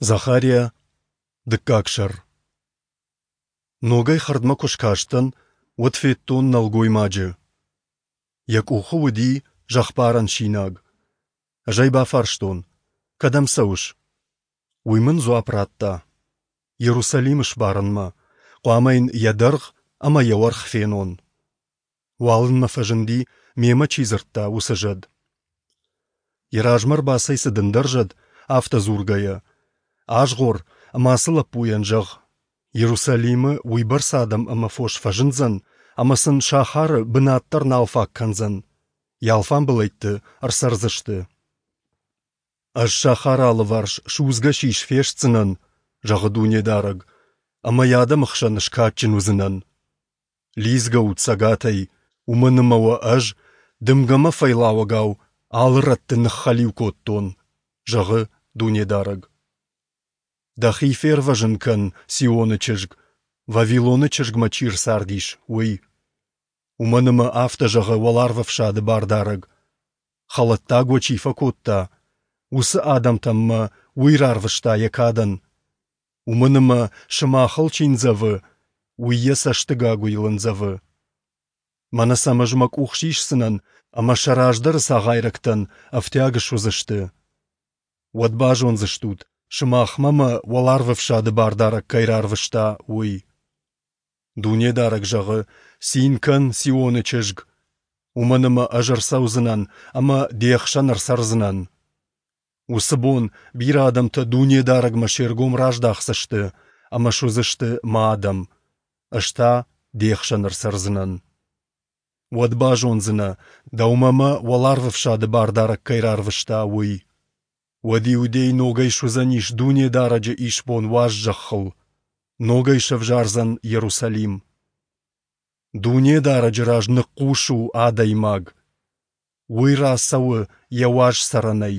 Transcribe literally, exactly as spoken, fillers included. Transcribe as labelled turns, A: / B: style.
A: Захария, дыккаг сӕр. Ногӕй хӕрдмӕ куы скастӕн, уӕд федтон нӕлгоймаджы. Йӕ къухы уыди зӕхбарӕн синаг. Ӕз ӕй бафарстон: «Кӕдӕм цӕуыс?» Уый мын дзуапп радта: «Йерусалим сбарынмӕ. Хъуамӕ йын йӕ дӕргъ ӕмӕ йӕ уӕрх фенон». Уалынмӕ фӕзынди, мемӕ чи дзырдта, уыцы зӕд. Йӕ размӕ ӕрбацӕйцыд ӕндӕр зӕд, афтӕ дзургӕйӕ: «Азгъор ӕмӕ ацы лӕппуйӕн зӕгъ: Иерусалимы уыйбӕрц адӕм ӕмӕ фос фӕзындзӕн, ӕмӕ сын сахары бынат дӕр нал фаг кӕндзӕн, йӕ алфамбылӕйтты ӕрцӕрдзысты. Ӕз сахары алыварс судзгӕ сис фестдзынӕн, зӕгъы Дунедарӕг, ӕмӕ йӕ адӕмы хсӕн скадджын уыдзынӕн. Лидзгӕ ут цӕгатӕй, уымӕн ӕмӕ уӕ ӕз, дымгӕмӕ фӕйлауӕгау, алы рӕтты ныххӕлиу кодтон, зӕгъы Дунедарӕг. Дӕхи фервӕзын кӕн, Сионы чызг, Вавилоны чызгмӕ чи рцардис, уый. Уымӕн ӕмӕ афтӕ зӕгъы Уӕларвӕфсады Бардарӕг: хӕлӕттаг уӕ чи фӕкодта, уыцы адӕмтӕм мӕ уый рарвыста йӕ кадӕн. Уымӕн ӕмӕ сымахыл чи ндзӕвы, уый йӕ цӕсты гагуыйыл ӕндзӕвы. Мӕнӕ сӕм ӕз мӕ къух сисдзынӕн, ӕмӕ сӕ раздӕры цагъайрӕгтӕн ӕфтиаг суыдзысты. Уӕд базондзыстут, сымахмӕ мӕ Уӕларвӕфсады Бардарӕг кӕй рарвыста, уый. Дунедарӕг зӕгъы: Цин кӕн, Сионы чызг, уымӕн ӕмӕ ӕз ӕрцӕудзынӕн ӕмӕ де хсӕн ӕрцӕрдзынӕн. Уыцы бон бирӕ адӕмтӕ Дунедарӕгмӕ се ргом раздахдзысты ӕмӕ суыдзысты мӕ адӕм, ӕз та де хсӕн ӕрцӕрдзынӕн. Уӕд базондзынӕ, дӕумӕ мӕ Уӕларвӕфсады Бардарӕг кӕй рарвыста, уый. Уӕд Иудей ногӕй суыдзӕнис Дунедарӕджы исбон уаз зӕххыл, ногӕй сӕвзӕрдзӕн Иерусалим. Дунедарӕджы раз ныхъхъус у, адӕймаг! Уый рацӕуы йӕ уаз цӕрӕнӕй.